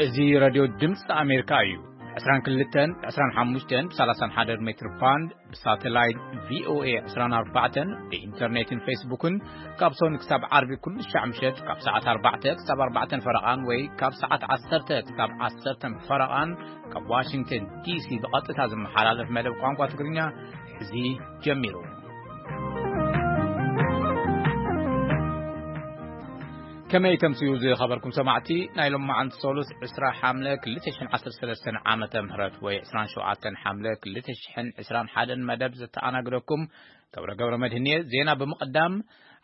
እዚ ሬድዮ ድምፂ ኣሜሪካ እዩ። ዕስራን ክልተን ዕስራን ሓሙሽተን ብ ሰላሳን ሓደን ሜትር ባንድ፣ ብሳተላይት ቪ ኦ ኤ ዕስራን ኣርባዕተን፣ ብኢንተርኔትን ፌስቡክን ካብ ሶኒ ክሳብ ዓርቢ ኩሉ ሻዕ ምሸት ካብ ሰዓት ኣርባዕተ ክሳብ ኣርባዕተን ፈረቓን ወይ ካብ ሰዓት ዓሰርተ ክሳብ ዓሰርተን ፈረቓን ካብ ዋሽንግተን ዲ ሲ ብቐጥታ ዝመሓላለፍ መደብ ቋንቋ ትግርኛ ሕዚ ጀሚሩ። ከመይ ተምስዩ ዝኸበርኩም ሰማዕቲ፣ ናይ ሎማዓንቲ ሰሉስ ዕስራ ሓምለ ክልተ ሽሕን ዓሰርተ ሰለስተን ዓመተ ምህረት ወይ ዕስራን ሸውዓተን ሓምለ ክልተ ሽሕን ዕስራን ሓደን መደብ ዘተኣናግደኩም ገብረ ገብረ መድህን እየ። ዜና ብምቕዳም፣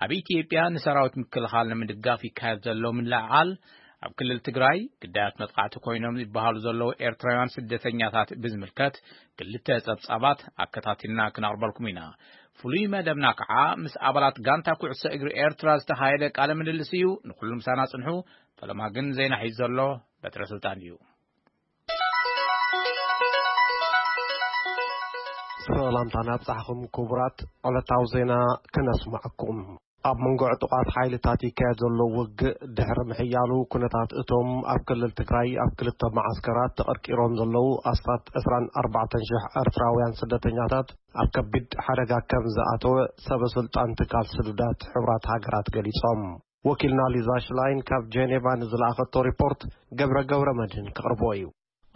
ኣብ ኢትዮጵያ ንሰራዊት ምክልኻል ንምድጋፍ ይካየድ ዘሎ ምልዕዓል፣ ኣብ ክልል ትግራይ ግዳያት መጥቃዕቲ ኮይኖም ይበሃሉ ዘለዉ ኤርትራውያን ስደተኛታት ብዝምልከት ክልተ ጸብጻባት ኣከታቲልና ክነቕርበልኩም ኢና። ፍሉይ መደብና ከዓ ምስ ኣባላት ጋንታ ኩዕሶ እግሪ ኤርትራ ዝተኻየደ ቃለ ምልልስ እዩ። ንኹሉ ምሳና ጽንሑ። ፈለማ ግን ዜና ሒዙ ዘሎ በትረ ስልጣን እዩ። ሰላምታ ናብጻሕኹም ክቡራት፣ ዕለታዊ ዜና ክነስማዕኩም። ኣብ መንጎ ዕጡቓት ሓይልታት ይካየድ ዘሎ ውግእ ድሕሪ ምሕያሉ፣ ኩነታት እቶም ኣብ ክልል ትግራይ ኣብ ክልተ መዓስከራት ተቐርቂሮም ዘለዉ ኣስታት ዕስራን ኣርባዕተን ሽሕ ኤርትራውያን ስደተኛታት ኣብ ከቢድ ሓደጋ ከም ዝኣተወ ሰበ ስልጣን ትካል ስዱዳት ሕቡራት ሃገራት ገሊጾም። ወኪልና ሊዛ ሽላይን ካብ ጄኔቫ ንዝለኣኸቶ ሪፖርት ገብረ ገብረ መድህን ክቕርቦ እዩ።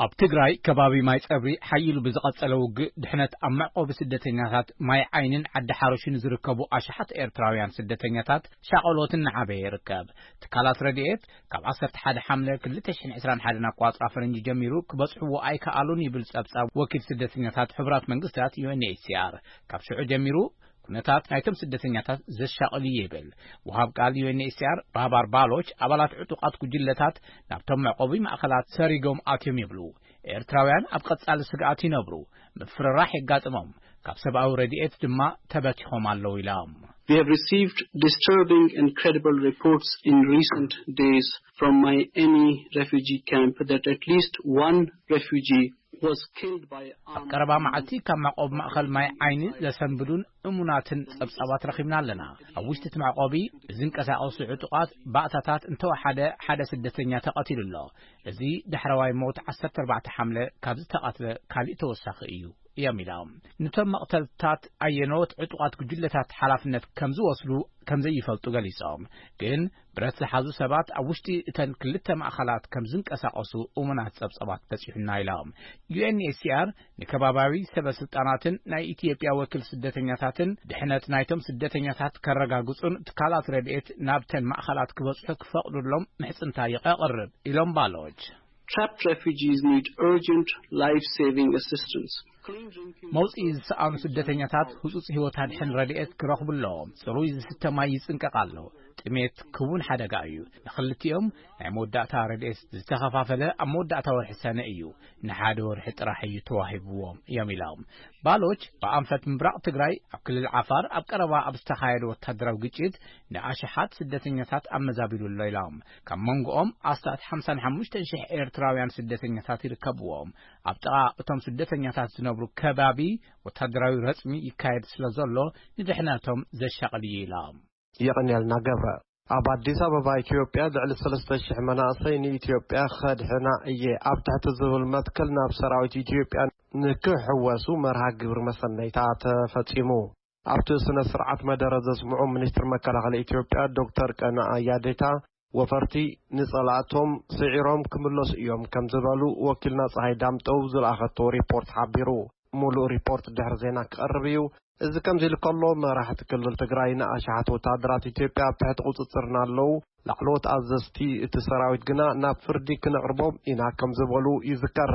ኣብ ትግራይ ከባቢ ማይ ጸብሪ ሓይሉ ብዝቐጸለ ውግእ ድሕነት ኣብ መዕቆቢ ስደተኛታት ማይ ዓይንን ዓዲ ሓሮሽን ዝርከቡ ኣሽሓት ኤርትራውያን ስደተኛታት ሻቐሎት እናዓበየ ይርከብ። ትካላት ረድኤት ካብ ዓሰርተ ሓደ ሓምለ ክልተ ሽሕን ዕስራን ሓደን ኣቋጽራ ፈረንጂ ጀሚሩ ክበጽሕዎ ኣይከኣሉን ይብል ጸብጻብ ወኪል ስደተኛታት ሕቡራት መንግስታት ዩ ኤን ኤች ሲ ኣር። ካብ ሽዑ ጀሚሩ ኩነታት ናይቶም ስደተኛታት ዘሻቕል እዩ ይብል። ወሃብ ቃል ዩ ኤን ኤች ሲ ኣር ባባር ባሎች ኣባላት ዕጡቓት ጉጅለታት ናብቶም መዕቆቢ ማእከላት ሰሪጎም ኣትዮም ይብሉ። ኤርትራውያን ኣብ ቀጻሊ ስግኣት ይነብሩ፣ ምፍርራሕ የጋጥሞም፣ ካብ ሰብኣዊ ረድኤት ድማ ተበቲኾም ኣለዉ ኢሎም። We have received disturbing and credible reports in recent days from my any refugee camp that at least one refugee was killed by ኣብ ቀረባ መዓልቲ ካብ መዕቆቢ ማእኸል ማይ ዓይኒ ዘሰንብዱን እሙናትን ጸብጻባት ረኺብና ኣለና። ኣብ ውሽጢ እቲ መዕቆቢ ብዝንቀሳቐሱ ዕጡቓት ባእታታት እንተወሓደ ሓደ ስደተኛ ተቐቲሉ ኣሎ። እዚ ዳሕረዋይ ሞት ዓሰርተ ኣርባዕተ ሓምለ ካብ ዝተቐትለ ካሊእ ተወሳኺ እዩ እዮም ኢሎም። ንቶም መቕተልታት ኣየኖት ዕጡቓት ጉጅለታት ሓላፍነት ከም ዝወስዱ ከም ዘይፈልጡ ገሊጾም። ግን ብረት ዝሓዙ ሰባት ኣብ ውሽጢ እተን ክልተ ማእኸላት ከም ዝንቀሳቐሱ እሙናት ጸብጻባት በጺሑና ኢሎም። ዩ ኤን ኤች ሲ ኣር ንከባባዊ ሰበ ስልጣናትን ናይ ኢትዮጵያ ወኪል ስደተኛታትን ድሕነት ናይቶም ስደተኛታት ከረጋግጹን ትካላት ረድኤት ናብተን ማእኸላት ክበጽሑ ክፈቕዱሎም ምሕጽንታ የቐርብ ኢሎም ባሎች። Trapped refugees need urgent life-saving assistance. መውጽኢ ዝሰኣኑ ስደተኛታት ህጹጽ ህይወት ኣድሕን ረድኤት ክረኽቡ ኣለዎም። ጽሩይ ዝስተ ማይ ይጽንቀቕ ኣሎ። ጥሜት ክውን ሓደጋ እዩ። ንኽልቲኦም ናይ መወዳእታ ረድኤት ዝተኸፋፈለ ኣብ መወዳእታ ወርሒ ሰነ እዩ። ንሓደ ወርሒ ጥራሕ እዩ ተዋሂብዎም እዮም ኢሎም። ባሎች ብኣንፈት ምብራቕ ትግራይ ኣብ ክልል ዓፋር ኣብ ቀረባ ኣብ ዝተኻየደ ወታደራዊ ግጭት ንኣሽሓት ስደተኛታት ኣመዛቢሉ ኣሎ ኢሎም። ካብ መንጎኦም ኣስታት ሓምሳን ሓሙሽተን ሽሕ ኤርትራውያን ስደተኛታት ይርከብዎም። ኣብ ጥቓ እቶም ስደተኛታት ዝነብሩ ከባቢ ወታደራዊ ረጽሚ ይካየድ ስለ ዘሎ ንድሕነቶም ዘሻቕል እዩ ኢሎም። የቐንየልና ገብረ። ኣብ ኣዲስ ኣበባ ኢትዮጵያ ልዕሊ ሰለስተ ሽሕ መናእሰይ ንኢትዮጵያ ከድሕና እየ ኣብ ትሕቲ ዝብል መትከል ናብ ሰራዊት ኢትዮጵያ ንክሕወሱ መርሃ ግብሪ መሰነይታ ተፈጺሙ። ኣብቲ ስነ ስርዓት መደረ ዘስምዑ ሚኒስትር መከላኸሊ ኢትዮጵያ ዶክተር ቀነዓ ያዴታ፣ ወፈርቲ ንጸላእቶም ስዒሮም ክምለሱ እዮም ከም ዝበሉ ወኪልና ፀሃይ ዳምጠው ዝለኣኸቶ ሪፖርት ሓቢሩ። ሙሉእ ሪፖርት ድሕሪ ዜና ክቐርብ እዩ። እዚ ከምዚ ኢሉ ከሎ፣ መራሕቲ ክልል ትግራይ ንኣሽሓት ወታደራት ኢትዮጵያ ኣብ ትሕቲ ቁፅፅርና ኣለዉ፣ ላዕለዎት ኣዘዝቲ እቲ ሰራዊት ግና ናብ ፍርዲ ክነቕርቦም ኢና ከም ዝበሉ ይዝከር።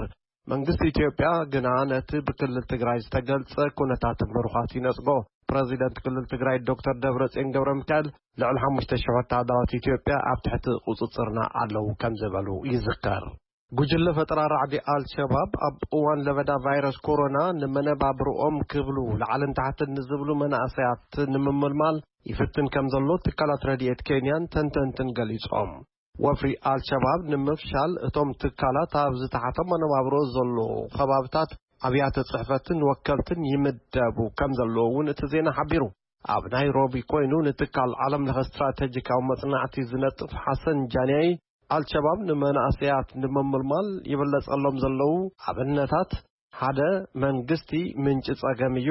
መንግስቲ ኢትዮጵያ ግና ነቲ ብክልል ትግራይ ዝተገልጸ ኩነታት ምሩኻት ይነጽጎ። ፕረዚደንት ክልል ትግራይ ዶክተር ደብረጽዮን ገብረ ሚካኤል ልዕሊ ሓሙሽተ ሽሕ ወታደራት ኢትዮጵያ ኣብ ትሕቲ ቁጽጽርና ኣለዉ ከም ዝበሉ ይዝከር። ጉጅለ ፈጠራ ራዕዲ ኣልሸባብ ኣብ እዋን ለበዳ ቫይረስ ኮሮና ንመነባብርኦም ክብሉ ላዕልን ታሕትን ንዝብሉ መናእሰያት ንምምልማል ይፍትን ከም ዘሎ ትካላት ረድኤት ኬንያን ተንተንትን ገሊጾም። ወፍሪ ኣልሸባብ ንምፍሻል እቶም ትካላት ኣብ ዝተሓተ መነባብሮ ዘሎ ከባብታት ኣብያተ ጽሕፈትን ወከልትን ይምደቡ ከም ዘለዎ እውን እቲ ዜና ሓቢሩ። ኣብ ናይሮቢ ኮይኑ ንትካል ዓለም ለኸ ስትራተጂካዊ መጽናዕቲ ዝነጥፍ ሓሰን ጃንያይ ኣልሸባብ ንመናእሰያት ንምምልማል ይብለጸሎም ዘለዉ ኣብነታት፣ ሓደ፣ መንግስቲ ምንጪ ጸገም እዩ፣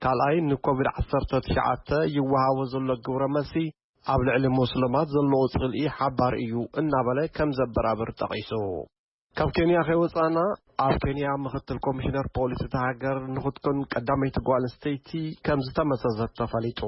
ካልኣይ፣ ንኮቪድ ዓሰርተ ትሽዓተ ይወሃቦ ዘሎ ግብረ መልሲ ኣብ ልዕሊ ሙስልማት ዘለዎ ጽልኢ ሓባር እዩ እናበለ ከም ዘበራብር ጠቒሱ። ካብ ኬንያ ከይወጻና፣ ኣብ ኬንያ ምኽትል ኮሚሽነር ፖሊስ እታ ሃገር ንኽትኮን ቀዳመይቲ ጓል ኣንስተይቲ ከም ዝተመዘዘት ተፈሊጡ።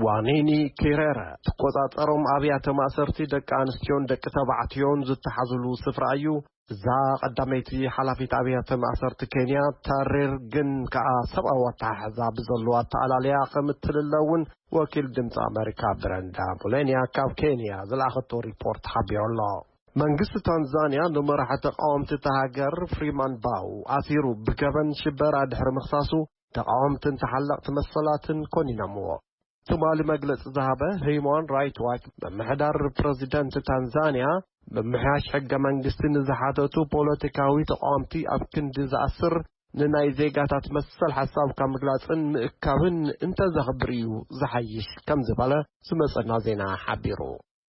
ዋኒኒ ኪረረ ትቆጻጸሮም ኣብያተ ማእሰርቲ ደቂ ኣንስትዮን ደቂ ተባዕትዮን ዝተሓዙሉ ስፍራ እዩ። እዛ ቀዳመይቲ ሓላፊት ኣብያተ ማእሰርቲ ኬንያ ታሬር ግን ከኣ ሰብኣዊ ኣተሓሕዛ ብዘለዋ ኣተኣላልያ ከም እትልለ እውን ወኪል ድምፂ ኣመሪካ ብረንዳ ሙሌንያ ካብ ኬንያ ዝለኣኸቶ ሪፖርት ሓቢሩ ኣሎ። መንግስቲ ታንዛንያ ንመራሒ ተቃወምቲ እታ ሃገር ፍሪማን ባው ኣሲሩ ብገበን ሽበራ ድሕሪ ምኽሳሱ፣ ተቃወምትን ተሓለቕቲ መሰላትን ኮኒኖምዎ። ትማሊ መግለጺ ዝሃበ ሂዩማን ራይት ዋች፣ ምምሕዳር ፕረዚደንት ታንዛንያ ምምሕያሽ ሕገ መንግስቲ ንዝሓተቱ ፖለቲካዊ ተቃወምቲ ኣብ ክንዲ ዝኣስር፣ ንናይ ዜጋታት መሰል ሓሳብካ ምግላጽን ምእካብን እንተዘኽብር እዩ ዝሓይሽ ከም ዝበለ ዝመጸና ዜና ሓቢሩ።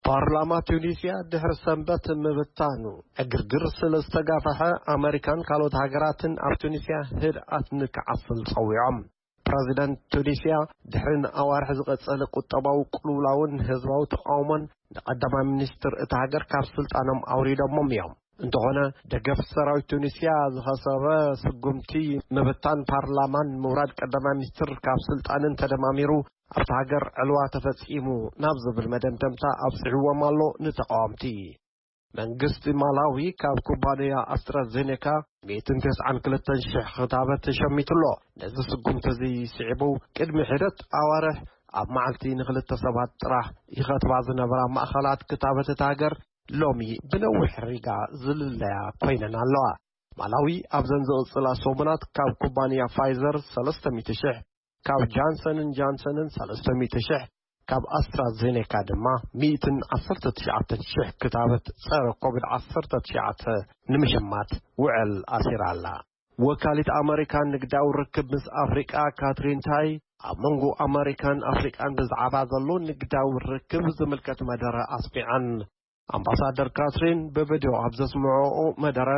ፓርላማ ቱኒስያ ድሕሪ ሰንበት ምብታኑ ዕግርግር ስለ ዝተጋፈሐ፣ ኣመሪካን ካልኦት ሃገራትን ኣብ ቱኒስያ ህድኣት ንክዓስል ጸዊዖም። ፕረዚደንት ቱኒስያ ድሕሪ ንኣዋርሕ ዝቐጸለ ቁጠባዊ ቅልውላውን ህዝባዊ ተቃውሞን፣ ንቀዳማይ ሚኒስትር እታ ሃገር ካብ ስልጣኖም ኣውሪዶሞም እዮም። እንተኾነ፣ ደገፍ ሰራዊት ቱኒስያ ዝኸሰበ ስጉምቲ ምብታን ፓርላማን ምውራድ ቀዳማይ ሚኒስትር ካብ ስልጣንን ተደማሚሩ፣ ኣብታ ሃገር ዕልዋ ተፈጺሙ ናብ ዝብል መደምደምታ ኣብጺሕዎም ኣሎ ንተቃወምቲ። መንግስቲ ማላዊ ካብ ኩባንያ ኣስትራዜኔካ ሚእትን ተስዓን ክልተን ሽሕ ክታበት ተሸሚቱ ኣሎ። ነዚ ስጉምቲ እዚ ስዒቡ፣ ቅድሚ ሒደት ኣዋርሕ ኣብ መዓልቲ ንክልተ ሰባት ጥራሕ ይኸትባ ዝነበራ ማእኸላት ክታበት እታ ሃገር ሎሚ ብነዊሕ ሪጋ ዝልለያ ኮይነን ኣለዋ። ማላዊ ኣብዘን ዝቕጽላ ሰሙናት ካብ ኩባንያ ፋይዘር ሰለስተ ሚእቲ ሽሕ፣ ካብ ጃንሰንን ጃንሰንን ሰለስተ ሚእቲ ሽሕ፣ ካብ ኣስትራዜኔካ ድማ ሚእትን ዓሰርተ ትሽዓተን ሽሕ ክታበት ጸረ ኮቪድ ዓሰርተ ትሽዓተ ንምሽማት ውዕል ኣሲራ ኣላ። ወካሊት ኣመሪካን ንግዳዊ ርክብ ምስ ኣፍሪቃ ካትሪን ታይ፣ ኣብ መንጎ ኣመሪካን ኣፍሪቃን ብዛዕባ ዘሎ ንግዳዊ ርክብ ዝምልከት መደረ ኣስሚዐን። ኣምባሳደር ካትሪን ብቪድዮ ኣብ ዘስምዐኦ መደረ፣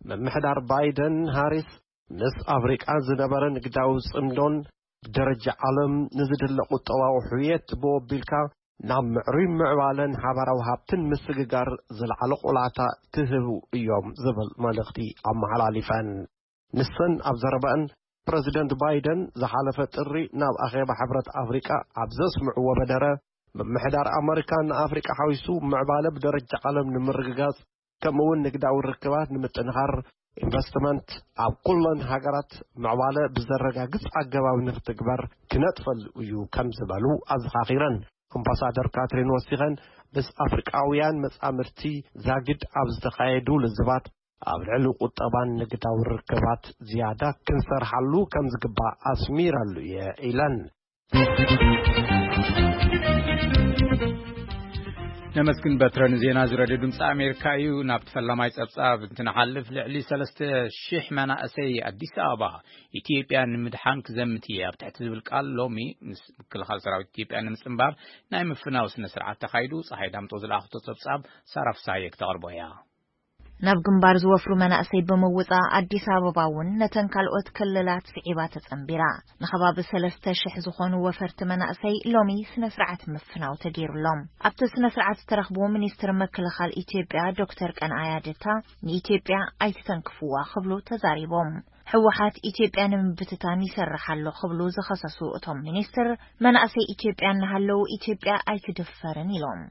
ምምሕዳር ባይደን ሃሪስ ምስ ኣፍሪቃ ዝነበረ ንግዳዊ ጽምዶን ብደረጃ ዓለም ንዝድለ ቁጠባዊ ሕውየት ብወቢልካ ናብ ምዕሩይ ምዕባለን ሓባራዊ ሃብትን ምስግጋር ዝለዓለ ቆላሕታ ክህቡ እዮም ዝብል መልእኽቲ ኣመሓላሊፈን። ንሰን ኣብ ዘረበአን፣ ፕረዚደንት ባይደን ዝሓለፈ ጥሪ ናብ ኣኼባ ሕብረት ኣፍሪቃ ኣብ ዘስምዕዎ መደረ፣ ምምሕዳር ኣመሪካ ንኣፍሪቃ ሓዊሱ ምዕባለ ብደረጃ ዓለም ንምርግጋጽ፣ ከምኡ እውን ንግዳዊ ርክባት ንምጥንኻር፣ ኢንቨስትመንት ኣብ ኩለን ሃገራት ምዕባለ ብዘረጋግጽ ኣገባብ ንክትግበር ክነጥፈሉ እዩ ከም ዝበሉ ኣዘኻኺረን። ኣምባሳደር ካትሪን ወሲኸን፣ ምስ ኣፍሪቃውያን መጻምድቲ ዛግድ ኣብ ዝተኻየዱ ልዝባት፣ ኣብ ልዕሊ ቁጠባን ንግዳዊ ርክባት ዝያዳ ክንሰርሓሉ ከም ዝግባእ ኣስሚረሉ እየ ኢለን። ነመስግን በትረ ንዜና እዚ ሬድዮ ድምፂ ኣሜሪካ እዩ። ናብቲ ፈላማይ ፀብፃብ እንትንሓልፍ፣ ልዕሊ ሰለስተ ሺሕ መናእሰይ ኣዲስ ኣበባ ኢትዮጵያ ንምድሓን ክዘምት እየ ኣብ ትሕቲ ዝብል ቃል ሎሚ ምስ ምክልኻል ሰራዊት ኢትዮጵያ ንምፅንባር ናይ ምፍናው ስነ ስርዓት ተኻይዱ። ፀሓይ ዳምጦ ዝለኣኽቶ ፀብፃብ ሳራ ፍሳሃየ ክተቕርቦ እያ። ናብ ግንባር ዝወፍሩ መናእሰይ ብምውጻእ ኣዲስ ኣበባ እውን ነተን ካልኦት ክልላት ስዒባ ተጸንቢራ። ንኸባቢ ሰለስተ ሽሕ ዝኾኑ ወፈርቲ መናእሰይ ሎሚ ስነ ስርዓት ምፍናው ተገይሩሎም። ኣብቲ ስነ ስርዓት ዝተረኽቡ ሚኒስትር ምክልኻል ኢትዮጵያ ዶክተር ቀንኣያ ደታ ንኢትዮጵያ ኣይትተንክፍዋ ክብሉ ተዛሪቦም። ህወሓት ኢትዮጵያ ንምብትታን ይሰርሕ ኣሎ ክብሉ ዝኸሰሱ እቶም ሚኒስትር፣ መናእሰይ ኢትዮጵያ እናሃለዉ ኢትዮጵያ ኣይትድፈርን ኢሎም።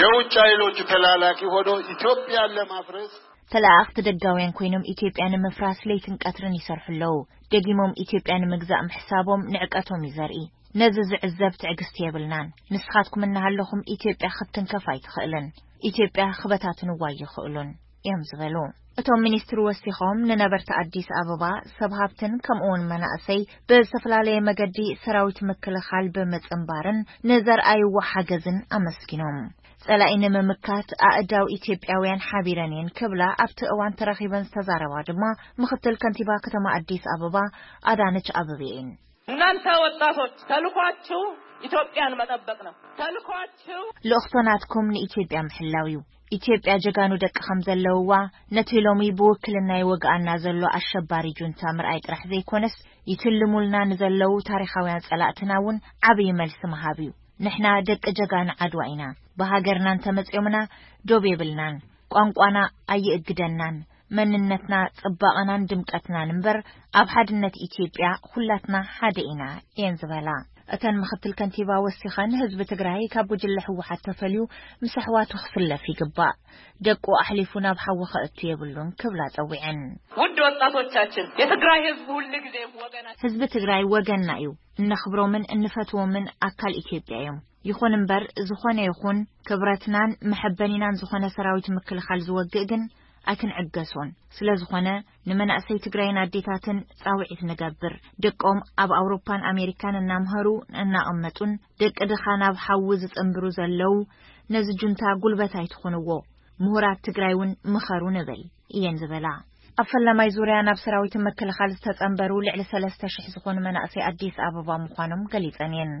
የውጭ ኃይሎች ተላላኪ ሆኖ ኢትዮጵያን ለማፍረስ ተላእኽቲ ደጋውያን ኮይኖም ኢትዮጵያ ንምፍራስ ለይትን ቀትርን ይሰርሑ ኣለዉ። ደጊሞም ኢትዮጵያ ንምግዛእ ምሕሳቦም ንዕቀቶም እዩ ዘርኢ። ነዚ ዝዕዘብ ትዕግስቲ የብልናን። ንስኻትኩም እናሃለኹም ኢትዮጵያ ክትትንከፍ ኣይትኽእልን። ኢትዮጵያ ክበታትንዋ ኣይኽእሉን እዮም ዝበሉ። እቶም ሚኒስትር ወሲኾም ንነበርቲ ኣዲስ ኣበባ ሰብ ሃብትን ከምኡውን መናእሰይ ብዝተፈላለየ መገዲ ሰራዊት ምክልኻል ብምጽንባርን ንዘርኣይዎ ሓገዝን ኣመስጊኖም። ጸላኢ ንምምካት ኣእዳው ኢትዮጵያውያን ሓቢረን እየን ክብላ ኣብቲ እዋን ተረኺበን ዝተዛረባ ድማ ምኽትል ከንቲባ ከተማ ኣዲስ ኣበባ ኣዳነች ኣበቤ እየን። እናንተ ወጣቶች ተልኳችሁ ኢትዮጵያን መጠበቅ ነው። ተልኳችሁ ልእኽቶ ናትኩም ንኢትዮጵያ ምሕላው እዩ። ኢትዮጵያ ጀጋኑ ደቂ ከም ዘለውዋ፣ ነቲ ሎሚ ብውክልና ይወግኣና ዘሎ ኣሸባሪ ጁንታ ምርኣይ ጥራሕ ዘይኮነስ፣ ይትልሙልና ንዘለዉ ታሪኻውያን ጸላእትና እውን ዓብዪ መልሲ ምሃብ እዩ። ንሕና ደቂ ጀጋኑ ዓድዋ ኢና። ብሃገርና እንተመጺኦምና ዶብ የብልናን። ቋንቋና ኣይእግደናን። መንነትና፣ ጽባቐናን ድምቀትናን እምበር፣ ኣብ ሓድነት ኢትዮጵያ ኩላትና ሓደ ኢና እየን ዝበላ። እተን ምኽትል ከንቲባ ወሲኸን፣ ህዝቢ ትግራይ ካብ ጉጅለ ህወሓት ተፈልዩ ምስ ኣሕዋቱ ክስለፍ ይግባእ። ደቁ ኣሕሊፉ ናብ ሓዊ ከእቱ የብሉን ክብላ ጸዊዐን። ውድ ወጣቶቻችን፣ የትግራይ ህዝብ ሁል ጊዜ ወገናችን። ህዝቢ ትግራይ ወገንና እዩ። እነኽብሮምን እንፈትዎምን ኣካል ኢትዮጵያ እዮም። ይኹን እምበር፣ ዝኾነ ይኹን ክብረትናን መሐበኒናን ዝኾነ ሰራዊት ምክልኻል ዝወግእ ግን ኣይክንዕገሶን። ስለ ዝኾነ፣ ንመናእሰይ ትግራይን ኣዴታትን ጻውዒት ንገብር። ደቆም ኣብ ኣውሮፓን ኣሜሪካን እናምሃሩ እናቐመጡን፣ ደቂ ድኻ ናብ ሓዊ ዝጽንብሩ ዘለዉ፣ ነዚ ጁንታ ጉልበት ኣይትኹንዎ። ምሁራት ትግራይ እውን ምኸሩ ንብል እየን ዝበላ። ኣብ ፈለማይ ዙርያ ናብ ሰራዊት ምክልኻል ዝተጸንበሩ ልዕሊ ሰለስተ ሽሕ ዝኾኑ መናእሰይ ኣዲስ ኣበባ ምዃኖም ገሊጸን እየን።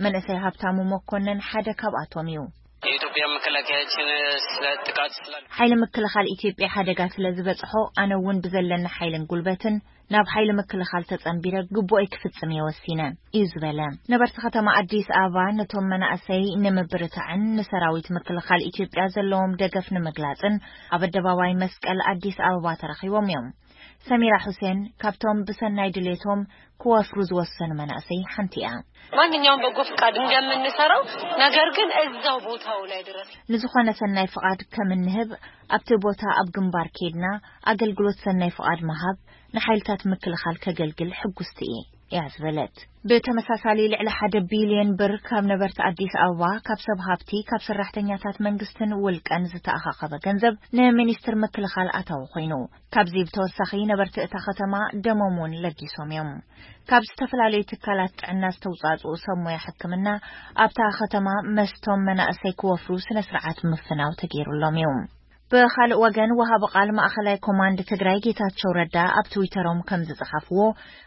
መንእሰይ ሃብታሙ መኮነን ሓደ ካብኣቶም እዩ። የኢትዮጵያ መከላከያችን ስለ ጥቃት ስለ ሓይሊ ምክልኻል ኢትዮጵያ ሓደጋ ስለ ዝበጽሖ፣ ኣነ እውን ብዘለኒ ሓይልን ጉልበትን ናብ ሓይሊ ምክልኻል ተጸንቢረ ግቡኦይ ክፍጽም እየ ወሲነ እዩ ዝበለ። ነበርቲ ከተማ ኣዲስ ኣበባ ነቶም መናእሰይ ንምብርታዕን ንሰራዊት ምክልኻል ኢትዮጵያ ዘለዎም ደገፍ ንምግላጽን ኣብ ኣደባባይ መስቀል ኣዲስ ኣበባ ተረኺቦም እዮም። ሰሚራ ሁሴን ካብቶም ብሰናይ ድሌቶም ክወፍሩ ዝወሰኑ መናእሰይ ሓንቲ እያ። ማንኛውም በጎ ፍቃድ እንደምንሰራው፣ ነገር ግን እዛው ቦታው ላይ ድረስ ንዝኾነ ሰናይ ፍቓድ ከም እንህብ፣ ኣብቲ ቦታ ኣብ ግንባር ኬድና ኣገልግሎት ሰናይ ፍቓድ ምሃብ ንሓይልታት ምክልኻል ከገልግል ሕጉስቲ እየ እያ ዝበለት። ብተመሳሳሊ፣ ልዕሊ ሓደ ቢልዮን ብር ካብ ነበርቲ ኣዲስ ኣበባ፣ ካብ ሰብ ሃብቲ፣ ካብ ሰራሕተኛታት መንግስትን ውልቀን ዝተኣኻኸበ ገንዘብ ንሚኒስትር ምክልኻል ኣታዊ ኮይኑ። ካብዚ ብተወሳኺ፣ ነበርቲ እታ ከተማ ደሞም እውን ለጊሶም እዮም። ካብ ዝተፈላለዩ ትካላት ጥዕና ዝተውጻጽኡ ሰብ ሞያ ሕክምና ኣብታ ከተማ መስቶም መናእሰይ ክወፍሩ ስነ ስርዓት ምፍናው ተገይሩሎም እዩ። ብኻልእ ወገን፣ ወሃቢ ቃል ማእኸላይ ኮማንድ ትግራይ ጌታቸው ረዳ ኣብ ትዊተሮም ከም ዝጸሓፍዎ፣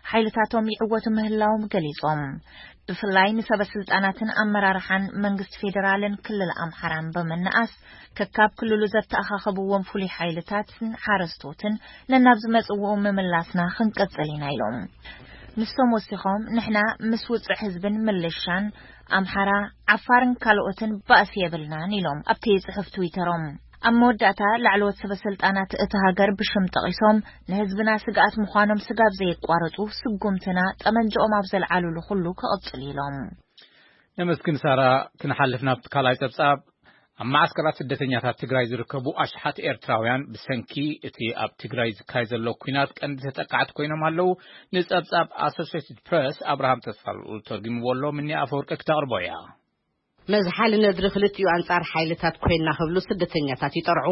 ሓይልታቶም ይዕወቱ ምህላዎም ገሊጾም። ብፍላይ ንሰበ ስልጣናትን ኣመራርሓን መንግስቲ ፌዴራልን ክልል ኣምሓራን ብምንኣስ፣ ከካብ ክልሉ ዘተኣኻኸብዎም ፍሉይ ሓይልታትን ሓረስቶትን ነናብ ዝመጽእዎ ምምላስና ክንቅጽል ኢና ኢሎም። ንሶም ወሲኾም፣ ንሕና ምስ ውጽዕ ህዝብን ምልሻን ኣምሓራ፣ ዓፋርን ካልኦትን ባእሲ የብልናን ኢሎም ኣብቲ ጽሑፍ ትዊተሮም። ኣብ መወዳእታ፣ ላዕለዎት ሰበ ስልጣናት እቲ ሃገር ብሽም ጠቒሶም፣ ንህዝብና ስግኣት ምዃኖም ስጋብ ዘየቋረጹ፣ ስጉምትና ጠመንጃኦም ኣብ ዘልዓሉሉ ኩሉ ክቕጽል ኢሎም። ነመስግን ሳራ። ክንሓልፍ ናብቲ ካልኣይ ጸብጻብ። ኣብ ማዓስከራት ስደተኛታት ትግራይ ዝርከቡ ኣሽሓት ኤርትራውያን፣ ብሰንኪ እቲ ኣብ ትግራይ ዝካየድ ዘሎ ኲናት ቀንዲ ተጠቃዕቲ ኮይኖም ኣለዉ። ንጸብጻብ ኣሶሴትድ ፕረስ ኣብርሃም ተስፋልኡል ተርጉምዎ ኣሎ። ምኒ ኣፈወርቂ ክተቕርቦ እያ። መዝሓሊ ነድሪ ክልቲኡ ኣንጻር ሓይልታት ኮይና ክብሉ ስደተኛታት ይጠርዑ።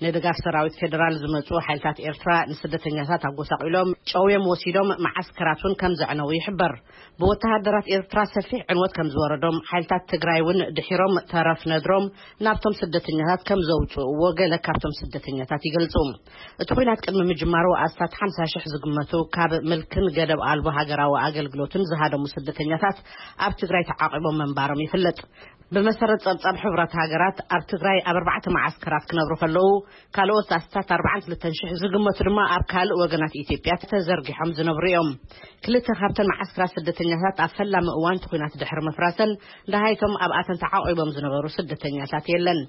ንድጋፍ ሰራዊት ፌደራል ዝመጹ ሓይልታት ኤርትራ ንስደተኛታት ኣጎሳቒሎም፣ ጨውዮም ወሲዶም፣ መዓስከራት እውን ከም ዘዕነዉ ይሕበር። ብወተሃደራት ኤርትራ ሰፊሕ ዕንወት ከም ዝወረዶም፣ ሓይልታት ትግራይ እውን ድሒሮም ተረፍ ነድሮም ናብቶም ስደተኛታት ከም ዘውጽእዎ ገለ ካብቶም ስደተኛታት ይገልጹ። እቲ ኲናት ቅድሚ ምጅማሩ፣ ኣስታት ሓምሳ ሽሕ ዝግመቱ ካብ ምልክን ገደብ ኣልቦ ሃገራዊ ኣገልግሎትን ዝሃደሙ ስደተኛታት ኣብ ትግራይ ተዓቂቦም ምንባሮም ይፍለጥ። ብመሰረት ጸብጻብ ሕቡራት ሃገራት፣ ኣብ ትግራይ ኣብ ኣርባዕተ መዓስከራት ክነብሩ ከለዉ፣ ካልኦት ኣስታት ኣርባዓን ክልተን ሽሕ ዝግመቱ ድማ ኣብ ካልእ ወገናት ኢትዮጵያ ተዘርጊሖም ዝነብሩ እዮም። ክልተ ካብተን መዓስከራት ስደተኛታት ኣብ ፈላሚ እዋን እቲ ኲናት ድሕሪ ምፍራሰን፣ ደሃይቶም ኣብኣተን ተዓቂቦም ዝነበሩ ስደተኛታት የለን።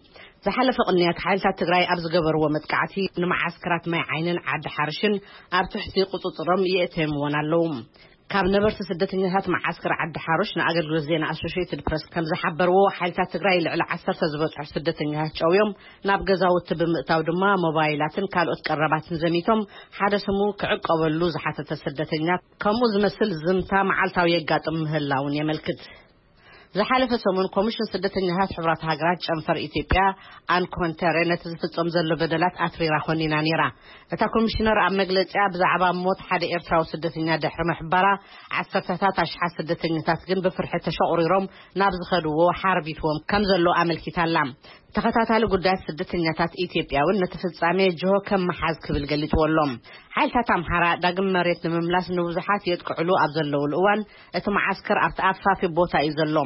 ዝሓለፈ ቅንያት፣ ሓይልታት ትግራይ ኣብ ዝገበርዎ መጥቃዕቲ፣ ንመዓስከራት ማይ ዓይንን ዓዲ ሓርሽን ኣብ ትሕቲ ቁጽጽሮም የእተዮምወን ኣለዉ። ካብ ነበርቲ ስደተኛታት መዓስከር ዓዲ ሓሩሽ ንኣገልግሎት ዜና ኣሶሽየትድ ፕረስ ከም ዝሓበርዎ፣ ሓይልታት ትግራይ ልዕሊ ዓሰርተ ዝበጽሑ ስደተኛታት ጨውዮም፣ ናብ ገዛውቲ ብምእታው ድማ ሞባይላትን ካልኦት ቀረባትን ዘሚቶም፣ ሓደ ስሙ ክዕቀበሉ ዝሓተተ ስደተኛ፣ ከምኡ ዝመስል ዝምታ መዓልታዊ የጋጥም ምህላውን የመልክት። ዝሓለፈ ሰሙን፣ ኮሚሽን ስደተኛታት ሕቡራት ሃገራት ጨንፈር ኢትዮጵያ፣ ኣንኮንተረ፣ ነቲ ዝፍጸም ዘሎ በደላት ኣትሪራ ኮኒና ነይራ። እታ ኮሚሽነር ኣብ መግለጺኣ፣ ብዛዕባ ሞት ሓደ ኤርትራዊ ስደተኛ ድሕሪ ምሕባራ፣ ዓሰርተታት ኣሽሓት ስደተኛታት ግን ብፍርሒ ተሸቑሪሮም ናብ ዝኸድዎ ሓርቢትዎም ከም ዘሎ ኣመልኪታ ኣላ። ተኸታታሊ ጉዳያት ስደተኛታት ኢትዮጵያ እውን ነቲ ፍጻሜ ጅሆ ከም መሓዝ ክብል ገሊጽዎ ኣሎ። ሓይልታት ኣምሓራ ዳግም መሬት ንምምላስ ንብዙሓት የጥቅዕሉ ኣብ ዘለውሉ እዋን፣ እቲ መዓስከር ኣብቲ ኣፋፊ ቦታ እዩ ዘሎ።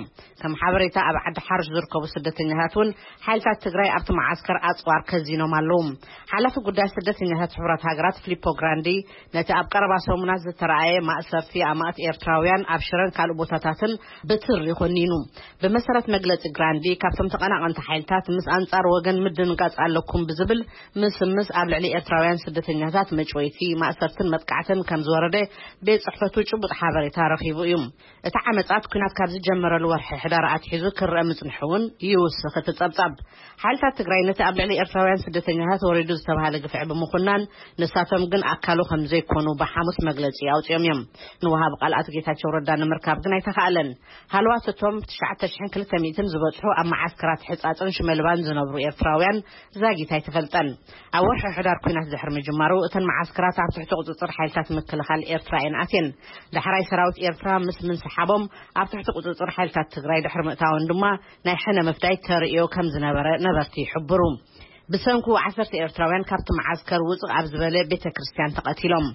ከም ሓበሬታ፣ ኣብ ዓዲ ሓርሽ ዝርከቡ ስደተኛታት እውን ሓይልታት ትግራይ ኣብቲ መዓስከር ኣጽዋር ከዚኖም ኣለዉ። ሓላፊ ጉዳይ ስደተኛታት ሕቡራት ሃገራት ፊሊፖ ግራንዲ፣ ነቲ ኣብ ቀረባ ሰሙናት ዝተረኣየ ማእሰርቲ ኣማእት ኤርትራውያን ኣብ ሽረን ካልእ ቦታታትን ብትሪ ኮኒኑ። ብመሰረት መግለጺ ግራንዲ፣ ካብቶም ተቐናቐንቲ ሓይልታት ምስ ኣንጻር ወገን ምድንጋጽ ኣለኩም ብዝብል ምስምስ ኣብ ልዕሊ ኤርትራውያን ስደተኛታት መጭወይቲ፣ ማእሰርትን መጥቃዕትን ከም ዝወረደ ቤት ጽሕፈቱ ጭቡጥ ሓበሬታ ረኺቡ እዩ። እቲ ዓመጻት ኲናት ካብ ዝጀመረሉ ወርሒ ሕዳር ኣትሒዙ ክረአ ምጽንሑ እውን ይውስኽ እቲ ጸብጻብ። ሓይልታት ትግራይ ነቲ ኣብ ልዕሊ ኤርትራውያን ስደተኛታት ወሪዱ ዝተባህለ ግፍዒ ብምኹናን፣ ንሳቶም ግን ኣካሉ ከም ዘይኮኑ ብሓሙስ መግለጺ ኣውጺኦም እዮም። ንወሃቢ ቃል ኣቶ ጌታቸው ረዳ ንምርካብ ግን ኣይተኻእለን። ሃለዋት እቶም ትሽዓተ ሽሕን ክልተ ሚእትን ዝበጽሑ ኣብ መዓስከራት ሕጻጽን ሽመልባን ዝነብሩ ኤርትራውያን ዛጊት ኣይተፈልጠን። ኣብ ወርሒ ሕዳር ኲናት ድሕሪ ምጅማሩ፣ እተን መዓስከራት ኣብ ትሕቲ ቁጽጽር ሓይልታት ምክልኻል ኤርትራ እየን ኣትየን። ዳሕራይ ሰራዊት ኤርትራ ምስ ምንስሓቦም፣ ኣብ ትሕቲ ቁጽጽር ሓይልታት ትግራይ ድሕሪ ምእታወን ድማ ናይ ሕነ ምፍዳይ ተርእዮ ከም ዝነበረ ነበርቲ ይሕብሩ። ብሰንኩ ዓሰርተ ኤርትራውያን ካብቲ መዓስከር ውጽእ ኣብ ዝበለ ቤተ ክርስቲያን ተቐቲሎም።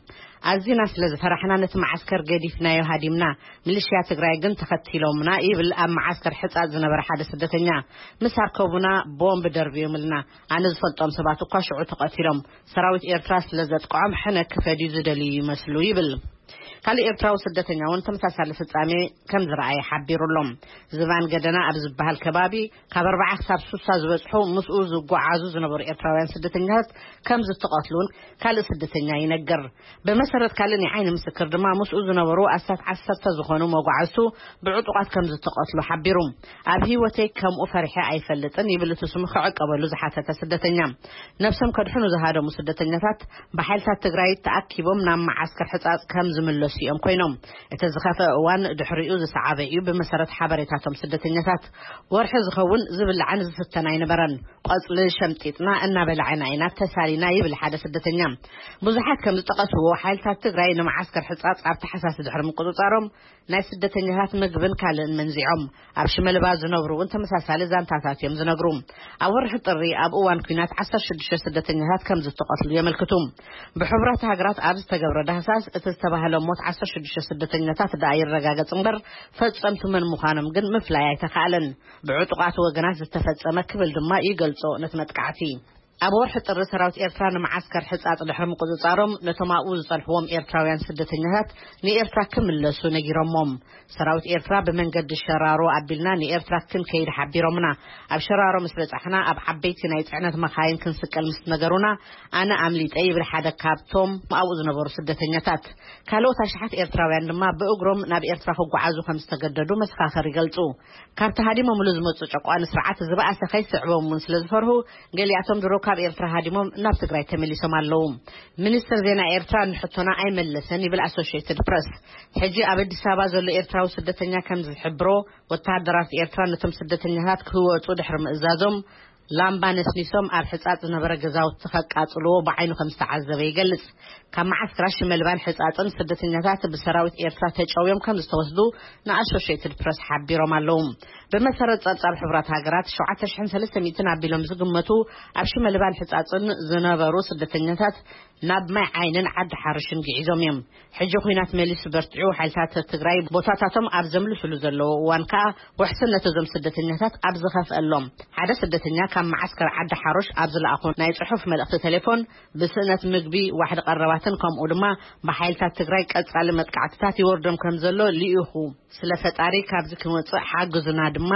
ኣዚና ስለ ዝፈራሕና ነቲ መዓስከር ገዲፍናዮ ሃዲምና፣ ሚሊሽያ ትግራይ ግን ተኸቲሎምና ይብል ኣብ መዓስከር ሕጻጽ ዝነበረ ሓደ ስደተኛ። ምስ ኣርከቡና ቦምብ ደርብዮምልና። ኣነ ዝፈልጦም ሰባት እኳ ሽዑ ተቐቲሎም። ሰራዊት ኤርትራ ስለ ዘጥቅዖም ሕነ ክፈድዩ ዝደልዩ ይመስሉ ይብል። ካልእ ኤርትራዊ ስደተኛ እውን ተመሳሳሊ ፍጻሜ ከም ዝረኣየ ሓቢሩ ኣሎ። ዝባን ገደና ኣብ ዝበሃል ከባቢ ካብ ኣርባዓ ክሳብ ሱሳ ዝበጽሑ ምስኡ ዝጓዓዙ ዝነበሩ ኤርትራውያን ስደተኛታት ከም ዝተቐትሉ እውን ካልእ ስደተኛ ይነግር። ብመሰረት ካልእ ናይ ዓይኒ ምስክር ድማ ምስኡ ዝነበሩ ኣስታት ዓሰርተ ዝኾኑ መጓዓዝቱ ብዕጡቓት ከም ዝተቐትሉ ሓቢሩ። ኣብ ህይወተይ ከምኡ ፈሪሐ ኣይፈልጥን ይብል እቲ ስሙ ክዕቀበሉ ዝሓተተ ስደተኛ። ነብሶም ከድሕኑ ዝሃደሙ ስደተኛታት ብሓይልታት ትግራይ ተኣኪቦም ናብ መዓስከር ሕጻጽ ከም ዝምለሱ እዮም ኮይኖም። እቲ ዝኸፍአ እዋን ድሕሪኡ ዝሰዓበ እዩ። ብመሰረት ሓበሬታቶም ስደተኛታት፣ ወርሒ ዝኸውን ዝብላዕን ዝስተን ኣይነበረን። ቆጽሊ ሸምጢጥና እናበላዕና ኢና ተሳሊና ይብል ሓደ ስደተኛ። ብዙሓት ከም ዝጠቐስዎ፣ ሓይልታት ትግራይ ንመዓስከር ሕጻጽ ኣብ ታሕሳስ ድሕሪ ምቁጽጻሮም፣ ናይ ስደተኛታት ምግብን ካልእን መንዚዖም። ኣብ ሽመልባ ዝነብሩ እውን ተመሳሳሊ ዛንታታት እዮም ዝነግሩ። ኣብ ወርሒ ጥሪ ኣብ እዋን ኲናት ዓሰርተ ሽዱሽተ ስደተኛታት ከም ዝተቐትሉ የመልክቱ። ብሕቡራት ሃገራት ኣብ ዝተገብረ ዳህሳስ፣ እቲ ዝተባህለ ሞት ዓሰርተ ሽዱሽተ ስደተኛታት ደኣ ይረጋገጽ እምበር፣ ፈጸምቱ መን ምዃኖም ግን ምፍላይ ኣይተኻእለን። ብዕጡቓት ወገናት ዝተፈጸመ ክብል ድማ ይገልጾ ነቲ መጥቃዕቲ። ኣብ ወርሒ ጥሪ ሰራዊት ኤርትራ ንመዓስከር ሕጻጽ ድሕሪ ምቁጽጻሮም፣ ነቶም ኣብኡ ዝጸንሕዎም ኤርትራውያን ስደተኛታት ንኤርትራ ክምለሱ ነጊሮሞም። ሰራዊት ኤርትራ ብመንገዲ ሸራሮ ኣቢልና ንኤርትራ ክንከይድ ሓቢሮምና። ኣብ ሸራሮ ምስ በጻሕና፣ ኣብ ዓበይቲ ናይ ጽዕነት መኻይን ክንስቀል ምስ ነገሩና፣ ኣነ ኣምሊጠ ይብል ሓደ ካብቶም ኣብኡ ዝነበሩ ስደተኛታት። ካልኦት ኣሽሓት ኤርትራውያን ድማ ብእግሮም ናብ ኤርትራ ክጓዓዙ ከም ዝተገደዱ መሰኻኽር ይገልጹ። ካብቲ ሃዲሞምሉ ዝመጹ ጨቋኒ ስርዓት ዝበኣሰ ከይስዕቦም እውን ስለ ዝፈርሁ፣ ገሊኣቶም ድሮ ካብ ኤርትራ ሃዲሞም ናብ ትግራይ ተመሊሶም ኣለዉ። ሚኒስትር ዜና ኤርትራ ንሕቶና ኣይመለሰን ይብል ኣሶሽየትድ ፕረስ። ሕጂ ኣብ ኣዲስ ኣበባ ዘሎ ኤርትራዊ ስደተኛ ከም ዝሕብሮ፣ ወተሃደራት ኤርትራ ነቶም ስደተኛታት ክወጹ ድሕሪ ምእዛዞም፣ ላምባ ነስኒሶም ኣብ ሕጻጽ ዝነበረ ገዛውቲ ከቃጽልዎ ብዓይኑ ከም ዝተዓዘበ ይገልጽ። ካብ መዓስከራት ሽመልባን ሕጻጽን ስደተኛታት ብሰራዊት ኤርትራ ተጨውዮም ከም ዝተወስዱ ንኣሶሽየትድ ፕረስ ሓቢሮም ኣለዉ። ብመሰረት ጸብጻብ ሕቡራት ሃገራት፣ ሸውዓተ ሽሕን ሰለስተ ሚእትን ኣቢሎም ዝግመቱ ኣብ ሽመልባን ሕጻጽን ዝነበሩ ስደተኛታት ናብ ማይ ዓይንን ዓዲ ሓርሽን ግዒዞም እዮም። ሕጂ ኲናት መሊሱ በርቲዑ፣ ሓይልታት ትግራይ ቦታታቶም ኣብ ዘምልሱሉ ዘለዉ እዋን ከኣ፣ ውሕስነት እዞም ስደተኛታት ኣብ ዝኸፍአሎም፣ ሓደ ስደተኛ ካብ መዓስከር ዓዲ ሓሮሽ ኣብ ዝለኣኾ ናይ ጽሑፍ መልእኽቲ ቴሌፎን፣ ብስእነት ምግቢ፣ ዋሕዲ ቀረባትን ከምኡ ድማ ብሓይልታት ትግራይ ቀጻሊ መጥቃዕትታት ይወርዶም ከም ዘሎ ልኢኹ ስለ ፈጣሪ ካብዚ ክመጽእ ሓግዙና ድማ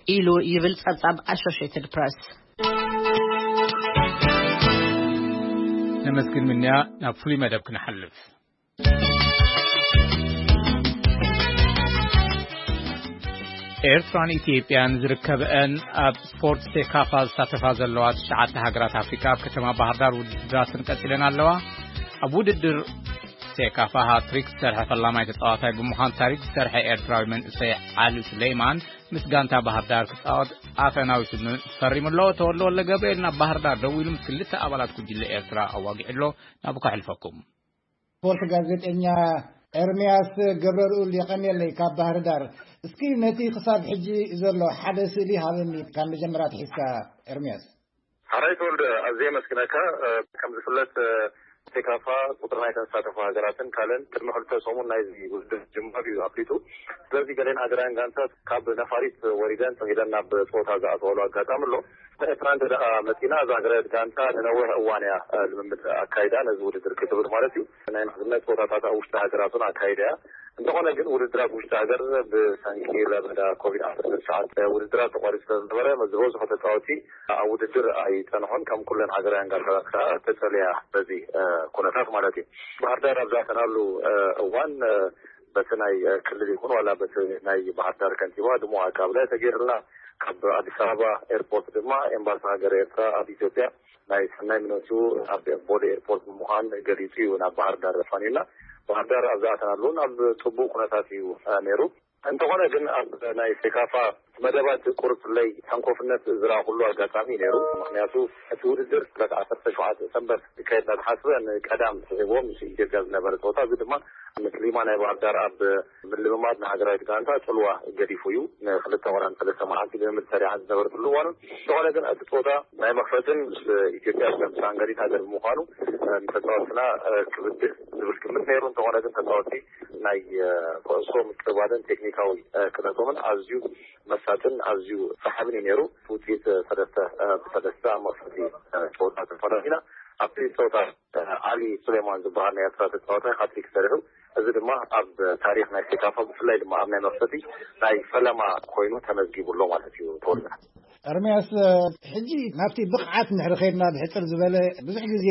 ኢሉ ይብል ጸብጻብ ኣሶሽየትድ ፕረስ። ነመስግን ምንያ። ናብ ፍሉይ መደብ ክንሓልፍ። ኤርትራን ኢትዮጵያን ዝርከበአን ኣብ ስፖርት ሴካፋ ዝሳተፋ ዘለዋ ትሽዓተ ሃገራት ኣፍሪካ ኣብ ከተማ ባህር ዳር ውድድራትን ቀጺለን ኣለዋ። ኣብ ውድድር ሴካፋ ሃትሪክ ዝሰርሐ ፈላማይ ተጻዋታይ ብምዃን ታሪክ ዝሰርሐ ኤርትራዊ መንእሰይ ዓሊ ሱሌይማን ምስ ጋንታ ባህር ዳር ክጻወት ኣፈናዊ ስምምዕ ፈሪሙ ኣሎ። ተወልደ ወልደ ገብርኤል ናብ ባህር ዳር ደዊሉ ምስ ክልተ ኣባላት ጉጅለ ኤርትራ ኣዋጊዑ ኣሎ። ናብኡ ከሕልፈኩም። ስፖርት ጋዜጠኛ ኤርምያስ ገብረልኡል የቐንየለይ ካብ ባህር ዳር። እስኪ ነቲ ክሳብ ሕጂ ዘሎ ሓደ ስእሊ ሃበኒ ካብ መጀመርያ ኣትሒዝካ ኤርምያስ። ሓራይ ተወልደ፣ ኣዝየ የመስግነካ። ከም ዝፍለጥ ሴካፋ ቁጽሪ ናይ ተሳተፉ ሃገራትን ካልእን ቅድሚ ክልተ ሰሙን ናይዚ ውድድር ጅማር እዩ ኣፍሊጡ። ስለዚ ገሌን ሃገራውያን ጋንታት ካብ ነፋሪት ወሪደን ተኺለን ናብ ጸወታ ዝኣተዋሉ ኣጋጣሚ ኣሎ። ኤርትራ እንተ ደኣ መጺና እዛ ሃገራዊት ጋንታ ንነዊሕ እዋን እያ ልምምድ ኣካይዳ ነዚ ውድድር ክትብል ማለት እዩ። ናይ ምሕዝነት ጸወታታት ኣብ ውሽጢ ሃገራት እውን ኣካይዳ እያ። እንተኾነ ግን ውድድራት ውሽጢ ሃገር ብሰንኪ ለበዳ ኮቪድ ዓሰርተ ትሽዓተ ውድድራት ተቋሪጹ ስለዝነበረ ዝበዝሑ ተጻወቲ ኣብ ውድድር ኣይጸንሑን ከም ኩለን ሃገራውያን ጋንታታት ከዓ ተጸልያ በዚ ኩነታት ማለት እዩ። ባህር ዳር ኣብ ዝኣተናሉ እዋን በቲ ናይ ክልል ይኹን ዋላ በቲ ናይ ባህር ዳር ከንቲባ ድሙቕ ኣቀባብላ ተገይሩልና። ካብ ኣዲስ ኣበባ ኤርፖርት ድማ ኤምባሲ ሃገር ኤርትራ ኣብ ኢትዮጵያ ናይ ሰናይ ምነቱ ኣብ ቦሌ ኤርፖርት ብምዃን ገሊጹ እዩ ናብ ባህር ዳር ኣፋንዩና። ባህር ዳር ኣብ ዝኣተናሉ እውን ኣብ ጽቡቕ ኩነታት እዩ ነይሩ። እንተኾነ ግን ኣብ ናይ ሴካፋ መደባት ቁርፅለይ ተንኮፍነት ዝረኣኹሉ ኣጋጣሚ ነይሩ። ምክንያቱ እቲ ውድድር ዕለት ዓሰርተ ሸውዓተ ሰንበት ክካየድ እናተሓስበ ንቀዳም ስዒብዎ ምስ ኢትዮጵያ ዝነበረ ፀወታ፣ እዚ ድማ ምስሊማ ናይ ባህር ዳር ኣብ ምልምማድ ንሃገራዊት ጋንታ ፅልዋ ገዲፉ እዩ። ንክልተ ወራን ሰለስተ መዓልቲ ልምምድ ሰሪዓ ዝነበረትሉ እዋኑ። እንተኾነ ግን እቲ ፀወታ ናይ መክፈትን ምስ ኢትዮጵያ ዝተምሳንገሪት ሃገር ብምዃኑ ንተፃወትና ክብድህ ዝብል ግምት ነይሩ። እንተኾነ ግን ተፃወቲ ናይ ኩዕሶ ምቅባልን ቴክኒካዊ ክእለቶምን ኣዝዩ መሳጥን ኣዝዩ ሰሓብን እዩ ነይሩ። ውፅኢት ሰለስተ ብሰለስተ ኣብ መክፈቲ ፀወታ ተፈላሊና። ኣብቲ ፀወታ ዓሊ ሱሌማን ዝበሃል ናይ ኤርትራ ተፃዋታይ ሃትሪክ ሰሪሑ፣ እዚ ድማ ኣብ ታሪክ ናይ ሴካፋ ብፍላይ ድማ ኣብ ናይ መክፈቲ ናይ ፈለማ ኮይኑ ተመዝጊቡ ኣሎ ማለት እዩ። ተወልደ። ኤርምያስ፣ ሕጂ ናብቲ ብቕዓት እንድሕሪ ኸይድና ብሕጽር ዝበለ ብዙሕ ግዜ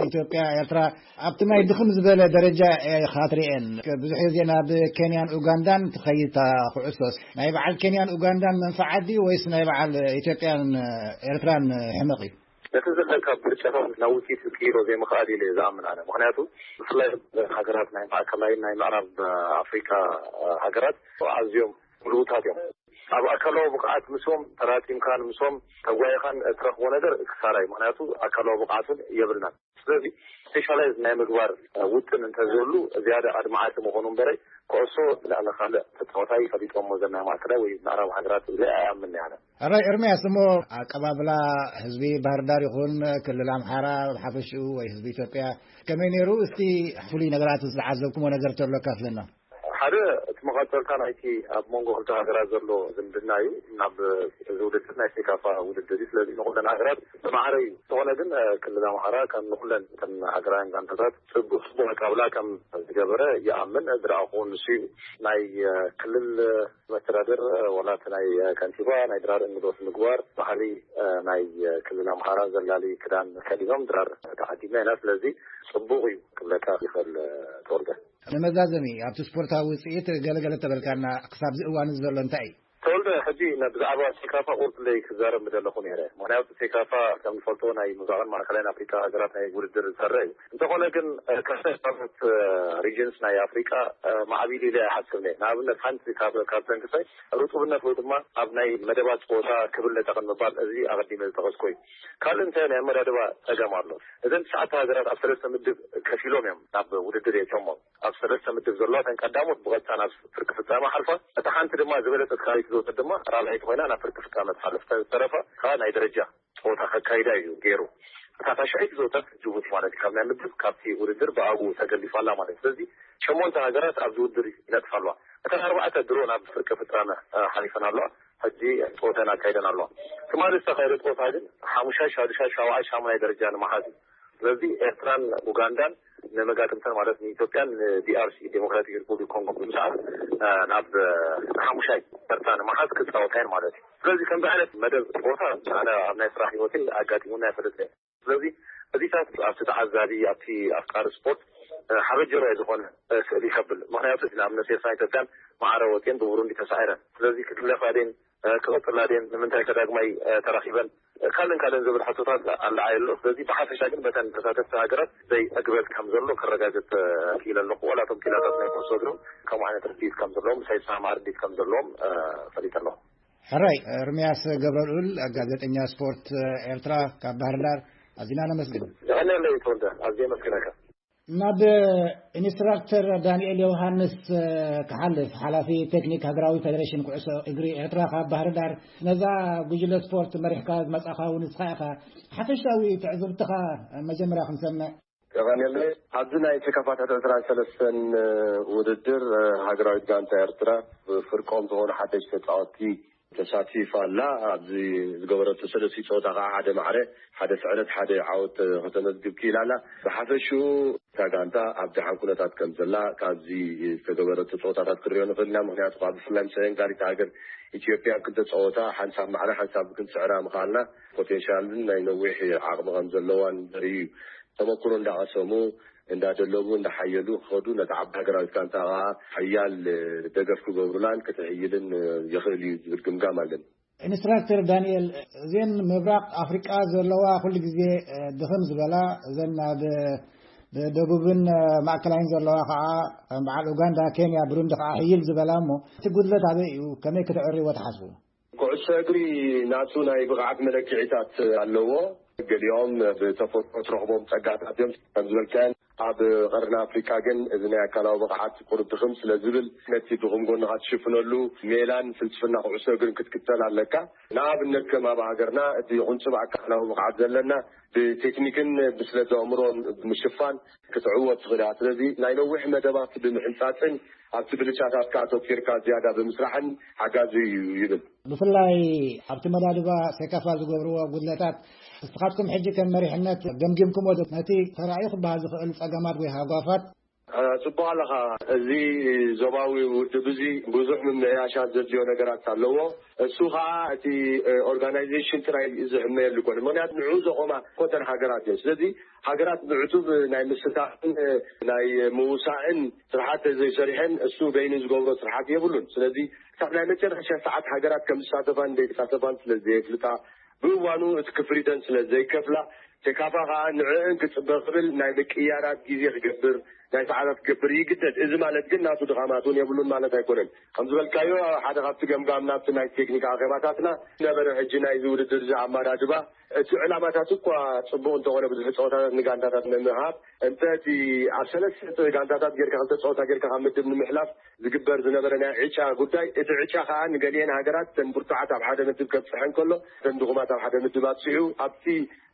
ኢትዮጵያ፣ ኤርትራ ኣብቲ ናይ ድኽም ዝበለ ደረጃ እየ ካትሪኤን። ብዙሕ ግዜ ናብ ኬንያን ኡጋንዳን ትኸይድ እታ ኩዕሶስ። ናይ በዓል ኬንያን ኡጋንዳን መንፈዓት ድዩ ወይስ ናይ በዓል ኢትዮጵያን ኤርትራን ሕመቕ እዩ? ነቲ ዘለካ ብልጫታት ናብ ውፅኢት ክቅይሮ ዘይምኽኣል ኢለ እየ ዝኣምን ኣነ። ምክንያቱ ብፍላይ ሃገራት ናይ ማእከላይ ናይ ምዕራብ ኣፍሪካ ሃገራት ኣዝዮም ምሉኡታት እዮም። ኣብ ኣካላዊ ብቕዓት ምስኦም ተራጺምካን ምስኦም ተጓይኻን እትረኽቦ ነገር ክሳራ እዩ። ምክንያቱ ኣካላዊ ብቕዓት እውን የብልናን። ስለዚ ስፔሻላይዝ ናይ ምግባር ውጥን እንተዝህሉ ዝያዳ ኣድማዓቲ ምኾኑ እምበረይ፣ ኩዕሶ ልዕሊ ካልእ ተጻዋታይ ፈሊጦሞ ዘናይ ማእከላይ ወይ ምዕራብ ሃገራት ኢለ ኣይኣምን ኣነ። ሕራይ ኤርምያስ፣ እሞ ኣቀባብላ ህዝቢ ባህር ዳር ይኹን ክልል ኣምሓራ ብሓፈሽኡ ወይ ህዝቢ ኢትዮጵያ ከመይ ነይሩ? እስቲ ፍሉይ ነገራት ዝተዓዘብኩሞ ነገር ተሎ ካፍለና። ሓደ እቲ መቐጸልታ ናይቲ ኣብ መንጎ ክልተ ሃገራት ዘሎ ዝምድና እዩ። ናብ እዚ ውድድር ናይ ሴካፋ ውድድር እዩ። ስለዚ ንኹለን ሃገራት ዝማዕረ እዩ። ዝኾነ ግን ክልል ኣምሓራ ከም ንኹለን ከም ሃገራውያን ጋንታታት ጽቡቅ ጽቡቅ ኣቀባብላ ከም ዝገበረ ይኣምን። ዝረኣኹ ንሱ እዩ። ናይ ክልል መስተዳድር ዋላ እቲ ናይ ከንቲባ ናይ ድራር እንግዶት ምግባር ባህሊ ናይ ክልል ኣምሓራ ዘላሊ ክዳን ከዲኖም ድራር ተዓዲምና ኢና። ስለዚ ጽቡቅ እዩ ክብለካ ይኽእል። ተወልደ። ንመዛዘሚ ኣብቲ ስፖርታዊ ውፅኢት ገለገለ ተበልካና ክሳብዚ እዋን ዘሎ እንታይ እዩ? ተወልደ፣ ሕጂ ነ- ብዛዕባ ሴካፋ ቁርፅለይ ክዛረብ ምደለኹ ነይረ። ምክንያቱ ሴካፋ ከም ንፈልጦ ናይ ምብራቕን ማእከላይን ኣፍሪካ ሃገራት ናይ ውድድር ዝሰርዕ እዩ። እንተኾነ ግን ካልኦት ሪጅንስ ናይ ኣፍሪካ ማዕቢል ኢለ ኣይሓስብን እየ። ንኣብነት ሓንቲ ካብ ካብተን ክሳይ ርጡብነት ወይ ድማ ኣብ ናይ መደባት ፀወታ ክብል ነጠቕን ምባል፣ እዚ ኣቐዲመ ዝጠቐስኮ እዩ። ካልእ እንታይ ናይ ኣመዳድባ ፀገም ኣሎ። እዘን ትሽዓተ ሃገራት ኣብ ሰለስተ ምድብ ከፊሎም እዮም ናብ ውድድር የእትዮሞ። ኣብ ሰለስተ ምድብ ዘለዋ እተን ቀዳሞት ብቐጥታ ናብ ፍርቂ ፍጻመ ሓልፋ፣ እታ ሓንቲ ድማ ዝበለጸት ካልኣይቲ ዝወጸት ድማ ራብዐይቲ ኮይና ናብ ፍርቂ ፍጻመ ትሓልፍ። እተን ዝተረፋ ከዓ ናይ ደረጃ ጸወታ ከካይዳ እዩ ገይሩ። እታ ታሽዐይቲ ዝወጸት ጅቡቲ ማለት እዩ። ካብ ናይ ምድብ ካብቲ ውድድር ብኣግኡ ተገሊፋ ኣላ ማለት እዩ። ስለዚ ሸሞንተ ሃገራት ኣብዚ ውድድር ይነጥፋ ኣለዋ። እተን ኣርባዕተ ድሮ ናብ ፍርቂ ፍጻመ ሓሊፈን ኣለዋ። ሕጂ ጸወተን ኣካይደን ኣለዋ። ትማሊ ዝተኻየደ ጸወታ ግን ሓሙሻይ፣ ሻዱሻይ፣ ሻውዓይ፣ ሻሙናይ ደረጃ ንምሓዝ እዩ። ስለዚ ኤርትራን ኡጋንዳን ንመጋጥምተን ማለት ንኢትዮጵያን ንዲኣርሲ ዴሞክራቲክ ሪፑብሊክ ኮንጎ ብምስዓር ናብ ሓሙሻይ ተርታ ንምሓዝ ክፃወታ እየን ማለት እዩ። ስለዚ ከምዚ ዓይነት መደብ ፀወታ ኣነ ኣብ ናይ ስራሕ ህይወተይ ኣጋጢሙና ኣይፈልጥን። ስለዚ እዚታት ኣብቲ ተዓዛቢ ኣብቲ ኣፍቃሪ ስፖርት ሓበጀራይ ዝኾነ ስእሊ ይከብል። ምክንያቱ ንኣብነት ኤርትራን ኢትዮጵያን ማዕረ ወፅየን ብቡሩንዲ ተሳዒረን። ስለዚ ክግለፋ ድየን ክቕፅላ ድየን ንምንታይ ከዳግማይ ተራኺበን ካልእን ካልእን ዝብል ሕቶታት ኣለዓይ ኣሎ። ስለዚ ብሓፈሻ ግን በተን ተሳተፍቲ ሃገራት ዘይዕግበት ከም ዘሎ ከረጋግፅ ክኢለ ኣለኹ። ዋላ እቶም ኪላታት ናይ ኩዕሶ እግርም ከምኡ ዓይነት ርድኢት ከም ዘለዎም፣ ምሳይ ዝሰማማዕ ርድኢት ከም ዘለዎም ፈሊጠ ኣለኹ። ሕራይ። እርምያስ ገብረልኡል፣ ጋዜጠኛ ስፖርት ኤርትራ ካብ ባህር ዳር፣ ኣዚና ነመስግን። የቐንየለይ ተወልደ፣ ኣዝየ የመስግነካ። ናብ ኢንስትራክተር ዳንኤል ዮሃንስ ክሓልፍ፣ ሓላፊ ቴክኒክ ሃገራዊ ፌደሬሽን ኩዕሶ እግሪ ኤርትራ ካብ ባህር ዳር፣ ነዛ ጉጅለ ስፖርት መሪሕካ ዝመጻኻ እውን ንስኻ ኢኻ። ሓፈሻዊ ትዕዝብትኻ መጀመርያ ክንሰምዕ። ቀኔለ፣ ኣብዚ ናይ ተካፋታት ዕስራን ሰለስተን ውድድር ሃገራዊት ጋንታ ኤርትራ ብፍርቆም ዝኾኑ ሓደሽቲ ተጻወትቲ ተሳቲፋ ኣላ። ኣብዚ ዝገበረቶ ሰለስቲ ጸወታ ከዓ ሓደ ማዕረ፣ ሓደ ስዕረት፣ ሓደ ዓወት ከተመዝግብ ክኢላ ኣላ። ብሓፈሽኡ እታ ጋንታ ኣብ ደሓን ኩነታት ከም ዘላ ካብዚ ዝተገበረቶ ጸወታታት ክንሪኦ ንኽእል ኢና። ምኽንያቱ ከዓ ብፍላይ ምስ ዕንጋሪት ሃገር ኢትዮጵያ ኣብ ክልተ ጸወታ ሓንሳብ ማዕረ ሓንሳብ ክንስዕራ ምኽኣልና ፖቴንሻልን ናይ ነዊሕ ዓቕሚ ከም ዘለዋን ዘርኢ እዩ። ተመክሮ እንዳቐሰሙ እንዳደለቡ እንዳሓየሉ ክኸዱ ነታ ዓባይ ሃገራዊት ጋንታ ከዓ ሓያል ደገፍ ክገብሩላን ክትሕይልን የኽእል እዩ ዝብል ግምጋም ኣለኒ። ኢንስትራክተር ዳንኤል፣ እዘን ምብራቕ ኣፍሪቃ ዘለዋ ኩሉ ግዜ ድኽም ዝበላ፣ እዘን ናብ ደቡብን ማእከላይን ዘለዋ ከዓ በዓል ኡጋንዳ፣ ኬንያ፣ ብሩንዲ ከዓ ሕይል ዝበላ እሞ እቲ ጉድለት ኣበይ እዩ? ከመይ ክትዕርይዎ ትሓስቡ? ኩዕሶ እግሪ ናቱ ናይ ብቕዓት መለክዒታት ኣለዎ። ገሊኦም ብተፈጥሮ ትረኽቦም ጸጋታት እዮም። ከም ዝበልካዮን ኣብ ቀርኒ ኣፍሪቃ ግን እዚ ናይ ኣካላዊ ብቕዓት ቁሩብ ድኽም ስለ ዝብል ነቲ ድኹም ጎንኻ ትሽፍነሉ ሜላን ፍልስፍና ኩዕሶ እግርን ክትክተል ኣለካ። ንኣብነት ከም ኣብ ሃገርና እቲ ቁንጽብ ኣካላዊ ብቕዓት ዘለና ብቴክኒክን ብስለት ኣእምሮን ብምሽፋን ክትዕወት ትኽእል እያ። ስለዚ ናይ ነዊሕ መደባት ብምሕንጻጽን ኣብቲ ብልጫታትካ ኣተኲርካ ዝያዳ ብምስራሕን ሓጋዚ እዩ ይብል። ብፍላይ ኣብቲ መዳድባ ሴካፋ ዝገብርዎ ጉድለታት፣ ንስኻትኩም ሕጂ ከም መሪሕነት ገምጊምኩሞ ዶ? ነቲ ተራእዩ ክበሃል ዝኽእል ጸገማት ወይ ሃጓፋት? አ፣ ጽቡቕ ኣለኻ። እዚ ዞባዊ ውድብ እዚ ብዙሕ ምምሕያሻት ዘድልዮ ነገራት ኣለዎ። እሱ ኸኣ እቲ፣ እ፣ ኦርጋናይዜሽን ጥራይ ዝሕመየሉ ይኮነ። ምኽንያቱ ንዑ ዘቆማ ኮተን ሃገራት እዮም። ስለዚ ሃገራት ብዕቱብ ናይ ምስታፍን፣ እ፣ ናይ ምውሳእን ስርሓት ዘይሰሪሐን እሱ በይኑ ዝገብሮ ስርሓት የብሉን። ስለዚ ክሳብ ናይ መጨረሻ ሰዓት ሃገራት ከም ዝሳተፋን ዘይሳተፋን ስለ ዘየፍልጣ፣ ብእዋኑ እቲ ክፍሊተን ስለ ዘይከፍላ፣ ሴካፋ ከኣ ንዕእን ክጽበ ክብል ናይ ምቅያራት ግዜ ክገብር፣ ናይ ሰዓታት ክገብር ይግደድ። እዚ ማለት ግን ናቱ ድኻማት እውን የብሉን ማለት ኣይኮነን። ከም ዝበልካዮ፣ ሓደ ካብቲ ገምጋም ናብቲ ናይ ቴክኒክ ኣኼባታትና ነበረ። ሕጂ ናይዚ ውድድር እዚ ኣመዳድባ፣ እቲ ዕላማታት እኳ ጽቡቕ እንተኾነ፣ ብዙሕ ጸወታታት ንጋንታታት ንምሃብ፣ እንተ እቲ ኣብ ሰለስተ ጋንታታት ጌርካ፣ ክልተ ጸወታ ጌርካ ካብ ምድብ ንምሕላፍ ዝግበር ዝነበረ ናይ ዕጫ ጉዳይ፣ እቲ ዕጫ ከኣ ንገሊአን ሃገራት፣ እተን ብርቱዓት ኣብ ሓደ ምድብ ከብጽሐን ከሎ፣ እተን ድኹማት ኣብ ሓደ ምድብ ኣብጺሑ፣ ኣብቲ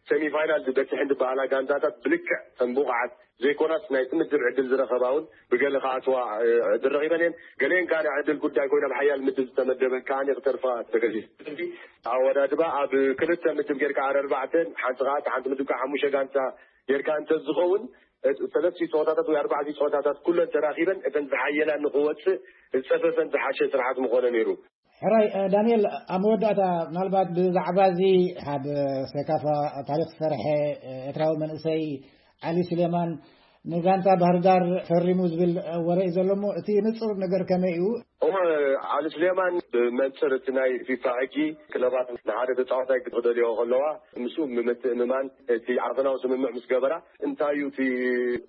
ሰሚፋይናል ዝበጽሐን ዝበሃላ ጋንታታት ብልክዕ እተን ብቑዓት ዘይኮናስ ናይቲ ምድብ ዕድል ዝረኸባ እውን ብገለ ክኣትዋ፣ እ፣ ዕድል ረኺበን እየን። ገሊአን ከኣ ናይ ዕድል ጉዳይ ኮይና ኣብ ሓያል ምድብ ዝተመደበን ከኣ ክተርፋ ተገዲዱ። ስለዚ ኣወዳድባ ኣብ ክልተ ምድብ ጌርካ ኣረ ኣርባዕተን ሓንቲ ከኣ፣ ሓንቲ ምድብ ከኣ ሓሙሽተ ጋንታ ጌርካ እንተዝኸውን፣ እ፣ ሰለስቲ ጸወታታት ወይ ኣርባዕቲ ጸወታታት ኩለን ተራኺበን እተን ዝሓየላ ንኽወጽእ ዝጸፈፈን ዝሓሸ ስርሓት ምኾነ ነይሩ። ሕራይ፣ እ፣ ዳንኤል፣ ኣብ መወዳእታ ምናልባት ብዛዕባ እዚ ኣብ ሴካፋ ታሪኽ ዝሰርሐ፣ እ፣ ኤርትራዊ መንእሰይ ዓሊ ስሌማን ንጋንታ ባህርዳር ፈሪሙ ዝብል፣ እ፣ ወረ እዩ ዘሎ እሞ፣ እቲ ንጹር ነገር ከመይ እዩ? እሞ፣ ዓሊ ስሌማን ብመንጽር እቲ ናይ ፊፋ ሕጊ ክለባት ንሓደ ተጻዋታይ ክደልዮ ከለዋ፣ ምስኡ ብምትእምማን እቲ ዓፈናዊ ስምምዕ ምስ ገበራ፣ እንታይ እዩ እቲ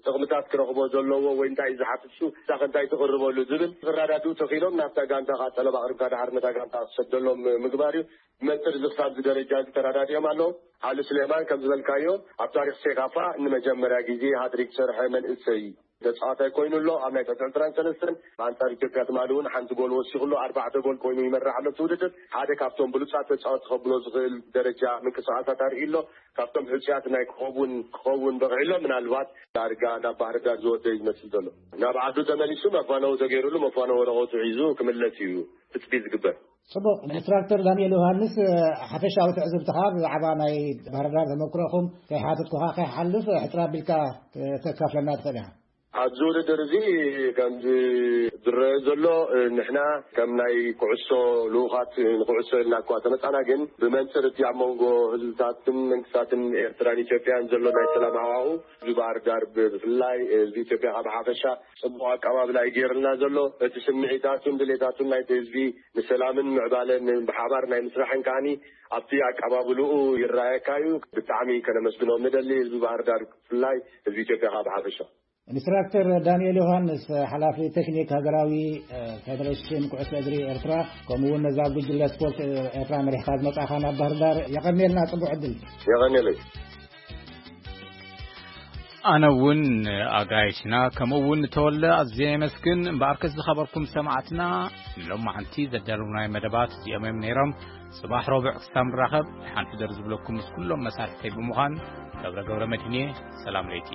ጥቕምታት ክረኽቦ ዘለዎ ወይ እንታይ እዩ ዝሓትት፣ እሱ እሳኸ እንታይ ትቕርበሉ ዝብል ክረዳድኡ ተኽኢሎም፣ ናብታ ጋንታ ከዓ ጠለብ ኣቕሪብካ ድሓር ነታ ጋንታ ክሰደሎም ምግባር እዩ። ብመንጽር እዚ ክሳብ እዚ ደረጃ እዚ ተረዳዲኦም ኣለዉ። ዓሊ ስሌማን ከም ዝበልካዮ ኣብ ታሪኽ ሴካፋ ንመጀመርያ ግዜ ሃትሪክ ዝሰርሐ መንእሰይ ተጻዋታይ ኮይኑ ኣሎ። ኣብ ናይ ትሕቲ ዕስራን ሰለስተን ኣንጻር ኢትዮጵያ ትማሊ እውን ሓንቲ ጎል ወሲኹ ኣሎ። ኣርባዕተ ጎል ኮይኑ ይመርሕ ኣሎ እቲ ውድድር። ሓደ ካብቶም ብሉጻት ተጻወትቲ ከብሎ ዝኽእል ደረጃ ምንቅስቓሳት ኣርኢ ኣሎ። ካብቶም ሕጹያት ናይ ክኸውን ክኸውን በቒዑ ኣሎ። ምናልባት ዳርጋ ናብ ባህር ዳር ዝወደ እዩ ዝመስል ዘሎ። ናብ ዓዱ ተመሊሱ መፋነዊ ተገይሩሉ መፋነዊ ወረቐቱ ሒዙ ክምለስ እዩ ትጽቢት ዝግበር። ጽቡቕ። ኢንስትራክተር ዳንኤል ዮሃንስ፣ ሓፈሻዊ ትዕዝብትኻ ብዛዕባ ናይ ባህር ዳር ተመክሮኹም ከይሓተትኩኻ ከይሓልፍ፣ ሕጽር ኣቢልካ ከተካፍለና ትኽእል ኢኻ። ኣብዚ ውድድር እዚ ከምዚ ዝረአ ዘሎ፣ ንሕና ከም ናይ ኩዕሶ ልኡኻት ንኩዕሶ ኢልና እኳ ተመጻና፣ ግን ብመንጽር እቲ ኣብ መንጎ ህዝብታትን መንግስታትን ኤርትራን ኢትዮጵያን ዘሎ ናይ ሰላም ሃዋሁ፣ እዚ ባህር ዳር ብ-፣ ብፍላይ ህዝቢ ኢትዮጵያ ካብ ሓፈሻ ጽቡቕ ኣቀባብላ እዩ ገይርልና ዘሎ። እቲ ስምዒታቱን ድሌታቱን ናይቲ ህዝቢ ንሰላምን ምዕባለን ብሓባር ናይ ምስራሕን ከኣኒ ኣብቲ ኣቀባብልኡ ይረኣየካ እዩ። ብጣዕሚ ከነመስግኖም ንደሊ ህዝቢ ባህር ዳር ብፍላይ ህዝቢ ኢትዮጵያ ካብ ሓፈሻ። ኢንስትራክተር ዳንኤል ዮሃንስ፣ ሓላፊ ቴክኒክ ሃገራዊ፣ እ፣ ፌደሬሽን ኩዕሶ እግሪ ኤርትራ፣ ከምኡ እውን ነዛ ጉጅለ ስፖርት፣ እ፣ ኤርትራ መሪሕካ ዝመጻእካ ናብ ባህር ዳር፣ የቐንየልና፣ ጽቡቕ ዕድል። የቐንየለይ። ኣነ እውን ኣጋይሽና ከምኡ እውን ተወለ ኣዝየ የመስግን። እምበኣርከስ ዝኸበርኩም ሰማዕትና፣ ሎማዓንቲ ዘዳለውናይ መደባት እዚኦም እዮም ነይሮም። ጽባሕ ረቡዕ ክሳብ ንራኸብ፣ ሓንቲ ደር ዝብለኩም ምስ ኩሎም መሳርሕተይ ብምዃን ገብረ ገብረ መድህን እየ። ሰላም ለይቲ።